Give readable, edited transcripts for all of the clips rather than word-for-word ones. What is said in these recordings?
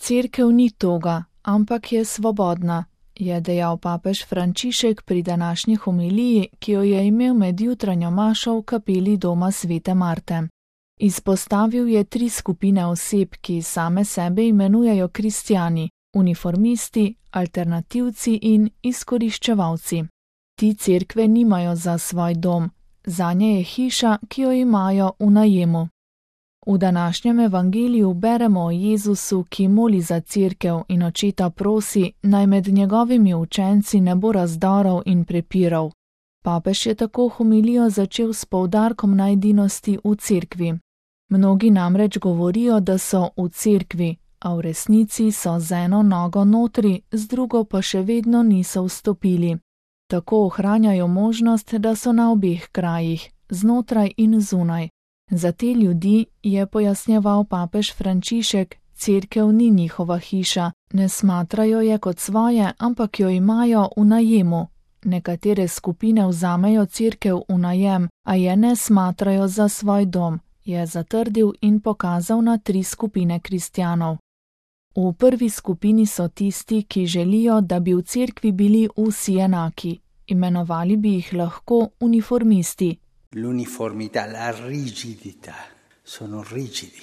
Cerkev ni toga, ampak je svobodna, je dejal papež Frančišek pri današnji homiliji, ki jo je imel med jutranjo mašo v kapeli doma svete Marte. Izpostavil je 3 skupine oseb, ki same sebe imenujejo kristjani, uniformisti, alternativci in izkoriščevalci. Ti cerkve nimajo za svoj dom, zanje je hiša, ki jo imajo v najemu. V današnjem evangeliju beremo o Jezusu, ki moli za cerkev in očeta prosi, naj med njegovimi učenci ne bo razdorov in prepirov. Papež je tako homilijo začel s poudarkom na edinosti v cerkvi. Mnogi namreč govorijo, da so v cerkvi, a v resnici so z eno nogo notri, z drugo pa še vedno niso vstopili. Tako ohranjajo možnost, da so na obeh krajih, znotraj in zunaj. Za te ljudi, je pojasnjeval papež Frančišek, cerkev ni njihova hiša, ne smatrajo je kot svoje, ampak jo imajo v najemu. Nekatere skupine vzamejo cerkev v najem, a je ne smatrajo za svoj dom, je zatrdil in pokazal na 3 skupine kristjanov. V prvi skupini so tisti, ki želijo, da bi v cerkvi bili vsi enaki. Imenovali bi jih lahko uniformisti. L'uniformità, la rigidità, sono rigidi,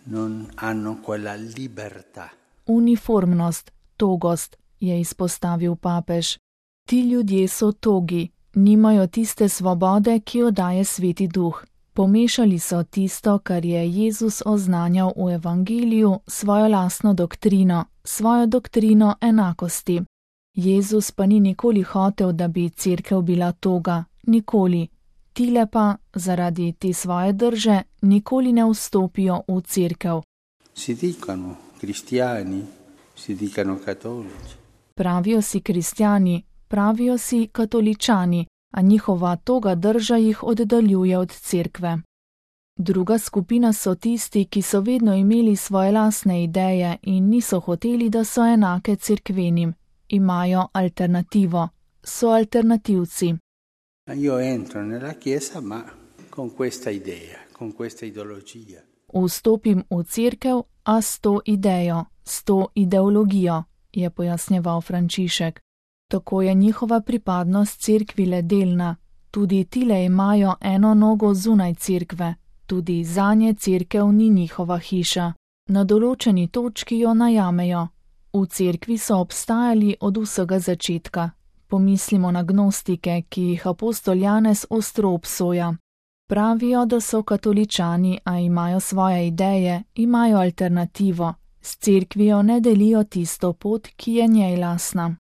non hanno quella libertà. Uniformnost, togost, je izpostavil papež. Ti ljudje so togi, nimajo tiste svobode, ki jo daje Sveti Duh. Pomešali so tisto, kar je Jezus oznanjal v evangeliju, svojo lastno doktrino, svojo doktrino enakosti. Jezus pa ni nikoli hotel, da bi cerkev bila toga, nikoli. Tile pa, zaradi te svoje drže, nikoli ne vstopijo v cerkev. Si dicano cristiani, si dicano cattolici. Pravijo si kristjani, pravijo si katoličani, a njihova toga drža jih oddaljuje od cerkve. Druga skupina so tisti, ki so vedno imeli svoje lastne ideje in niso hoteli, da so enake cerkvenim. Imajo alternativo, so alternativci. Io entro nella chiesa, ma con questa idea, con questa ideologia. Vstopim v cerkev, a s to idejo, s to ideologijo, je pojasnjeval Frančišek. Tako je njihova pripadnost cerkvi le delna, tudi tile imajo eno nogo zunaj cerkve, tudi zanje cerkev ni njihova hiša. Na določeni točki jo najamejo. V cerkvi so obstajali od vsega začetka. Pomislimo na gnostike, ki jih apostol Janez ostro obsoja. Pravijo, da so katoličani, a imajo svoje ideje, imajo alternativo. S cerkvijo ne delijo tisto pot, ki je njej lastna.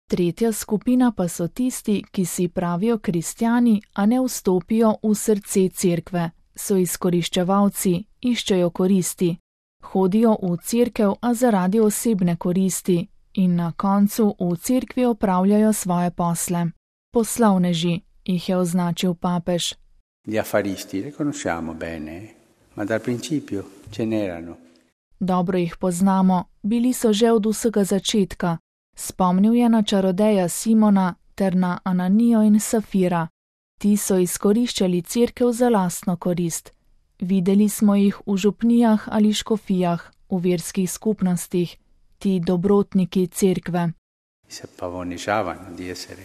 Tretja skupina pa so tisti, ki si pravijo kristjani, a ne vstopijo v srce cerkve. So izkoriščevalci, iščejo koristi. Hodijo v cerkev, a zaradi osebne koristi. In na koncu v cerkvi opravljajo svoje posle. Poslovneži, jih je označil papež. Gli affaristi li conosciamo bene, ma dal principio ce n'erano. Dobro jih poznamo, bili so že od vsega začetka. Spomnil je na čarodeja Simona ter na Ananijo in Safira. Ti so izkoriščali cerkev za lastno korist. Videli smo jih v župnijah ali škofijah, v verskih skupnostih. Ti dobrotniki cerkve. Si pavoneggiavano di essere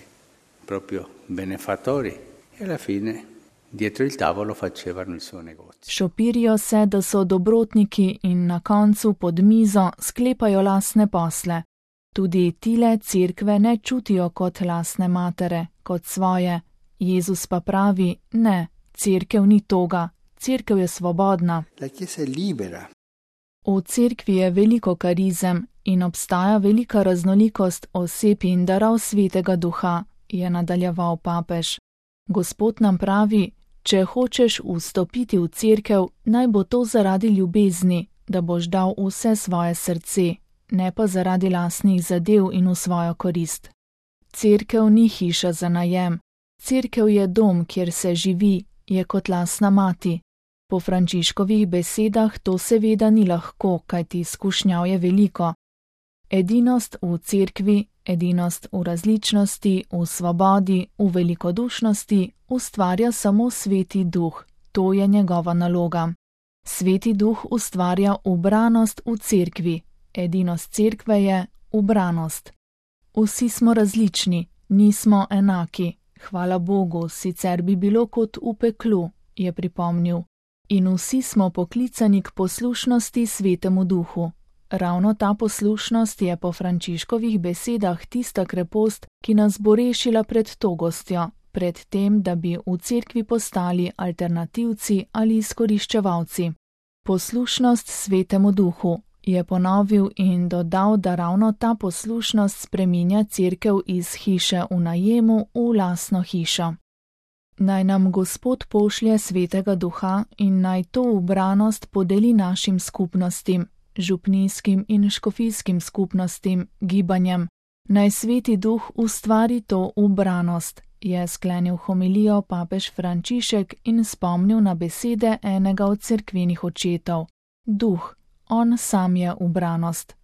proprio benefattori e alla fine dietro il tavolo facevano il suo negozio. Šopirijo se, da so dobrotniki in na koncu pod mizo sklepajo lastne posle. Tudi tile cerkve ne čutijo kot lastne matere, kot svoje. Jezus pa pravi, ne, cerkev ni toga, cerkev je svobodna. La chiesa è libera. V cerkvi je veliko karizem in obstaja velika raznolikost oseb in darov Svetega Duha, je nadaljeval papež. Gospod nam pravi, če hočeš vstopiti v cerkev, naj bo to zaradi ljubezni, da boš dal vse svoje srce, ne pa zaradi lastnih zadev in v svojo korist. Cerkev ni hiša za najem. Cerkev je dom, kjer se živi, je kot lastna mati. Po Frančiškovih besedah to seveda ni lahko, kajti izkušnjav je veliko. Edinost v cerkvi, edinost v različnosti, v svobodi, v velikodušnosti ustvarja samo Sveti Duh. To je njegova naloga. Sveti Duh ustvarja ubranost v cerkvi. Edinost cerkve je ubranost. Vsi smo različni, nismo enaki. Hvala Bogu, sicer bi bilo kot v peklu, je pripomnil. In vsi smo poklicani k poslušnosti Svetemu Duhu. Ravno ta poslušnost je po Frančiškovih besedah tista krepost, ki nas bo rešila pred togostjo, pred tem, da bi v cerkvi postali alternativci ali izkoriščevalci. Poslušnost Svetemu Duhu, je ponovil in dodal, da ravno ta poslušnost spreminja cerkev iz hiše v najemu v lastno hišo. Naj nam Gospod pošlje Svetega Duha in naj to ubranost podeli našim skupnostim, župnijskim in škofijskim skupnostim, gibanjem. Naj Sveti Duh ustvari to ubranost, je sklenil homilijo papež Frančišek in spomnil na besede enega od cerkvenih očetov. Duh, on sam je ubranost.